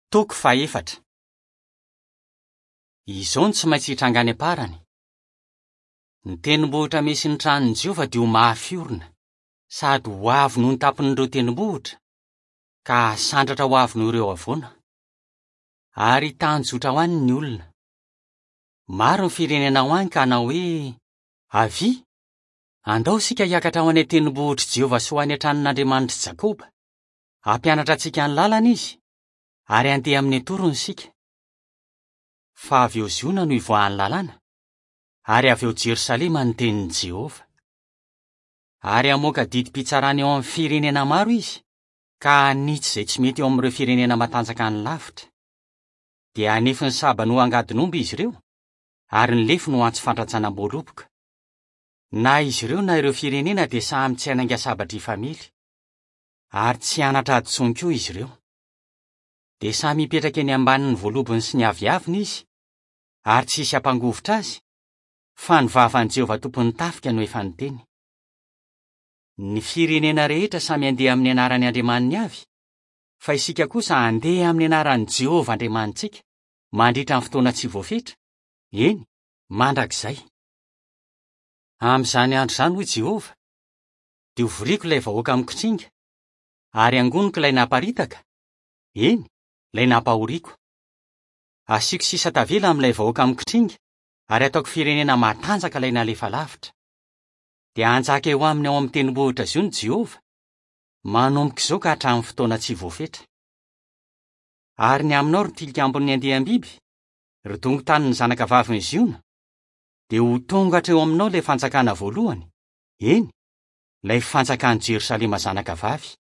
Toko fahefatra. Izao no tsy maintsy hitranga any am-parany. Ny tendrombohitra misy ny tranon'i Jehovah dia ho mafy orina, sady ho avo noho ny tampon'ireo tendrombohitra, ka hasandratra ho avo noho ireo havoana. Ary hitanjozotra ho any ny olona. Maro ny firenena ho any ka hanao hoe, Avia, andao isika hiakatra ho any an-tendrombohitr'i Jehovah sy ho any an-tranon'Andriamanitr'i Jakoba. Hampianatra antsika ny lalana izy, ary handeha amin'ny atorony isika. Fa avy eo Ziona no hivoahan'ny lalàna, ary avy ao Jerosalema ny tenin'i Jehovah. Ary hamoaka didim-pitsarana eo amin'ny firenena maro izy, ka hanitsy izay tsy mety eo amin'ireo firenena matanjaka any lavitra. Dia hanefy ny sabany ho angadin'omby izy ireo, ary ny lefony ho antsy fandratsanam-boaloboka. Na izy ireo na ireo firenena dia samy tsy hanainga sabatra hifamely. Ary tsy hianatra hadisoany koa izy ireo. Dia samy hipetraka eny ambanin'ny voalobony sy ny aviaviny izy, ary tsy hisy hampangovitra azy, fa ny vavan'i Jehovah Tompon'ny tafika no efa niteny. Ny firenena rehetra samy handeha amin'ny anaran'ny andriamaniny avy, fa isika kosa handeha amin'ny anaran'i Jehovah Andriamanitsika, mandritra ny fotoana tsy voafetra, eny, mandrakizay. Amin'izany andro izany, hoy Jehovah, dia hovoriko ilay vahoaka mikitringa, ary hangoniko ilay naparitaka, eny, ilay nampahoriako. Hasiako sisa tavela amin'ilay vahoaka mikitringa, ary hataoko firenena matanjaka ilay nalefa lavitra. Dia hanjaka eo aminy ao amin'ny tendrombohitra Ziona Jehovah, manomboka izao ka hatramin'ny fotoana tsy voafetra. Ary ny aminao, ry tilikambon'ny andiam-biby, ry dongon-tanin'ny zanakavavin'i Ziona, dia ho tonga hatreo aminao ilay fanjakana voalohany, eny, ilay fanjakan'i Jerosalema zanakavavy.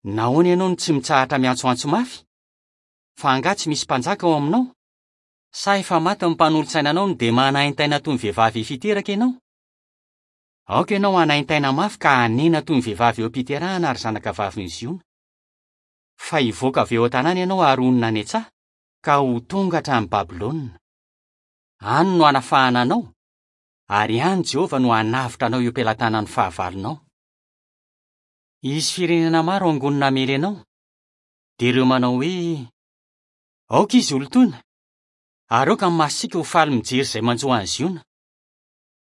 Nahoana ianao no tsy mitsahatra miantsoantso mafy? Fa angaha tsy misy mpanjaka ao aminao? Sa efa maty ny mpanolotsainanao no dia manaintaina toy ny vehivavy efa hiteraka ianao? Aoka ianao hanaintaina mafy ka hanena toy ny vehivavy eo am-piterahana ry zanakavavin'i Ziona. Fa hivoaka avy eo an-tanàna ianao ary honina any an-tsaha, ka ho tonga hatrany Babylona. Any no hanafahana anao, ary any Jehovah no hanavotra anao eo am-pelatanan'ny fahavalonao. Hisy firenena maro hangonina hamely anao, dia ireo manao hoe, Aoka izy holotoina, ary aoka ny masontsika ho faly mijery izay manjo an'i Ziona.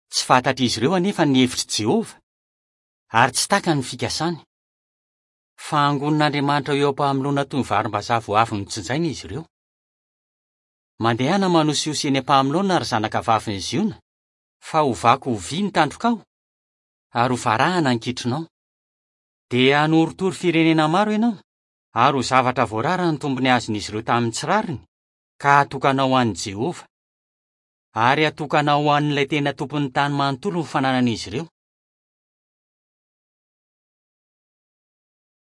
Tsy fantatr'izy ireo anefa ny hevitr'i Jehovah, ary tsy takany ny fikasany. Fa hangonin'Andriamanitra ho eo am-pahamoloana toy ny varimbazaha vao avy nojinjaina izy ireo. Mandehana manosihosy eny am-pahamoloana, ry zanakavavin'i Ziona, fa hovako ho vy ny tandrokao, ary ho varahana ny kitronao. Dia hanorotoro firenena maro ianao, ary ho zavatra voarara ny tombony azon'izy ireo tamin'ny tsy rariny, ka hatokanao ho an'i Jehovah. Ary hatokanao ho an'ilay tena Tompon'ny tany manontolo ny fananan'izy ireo.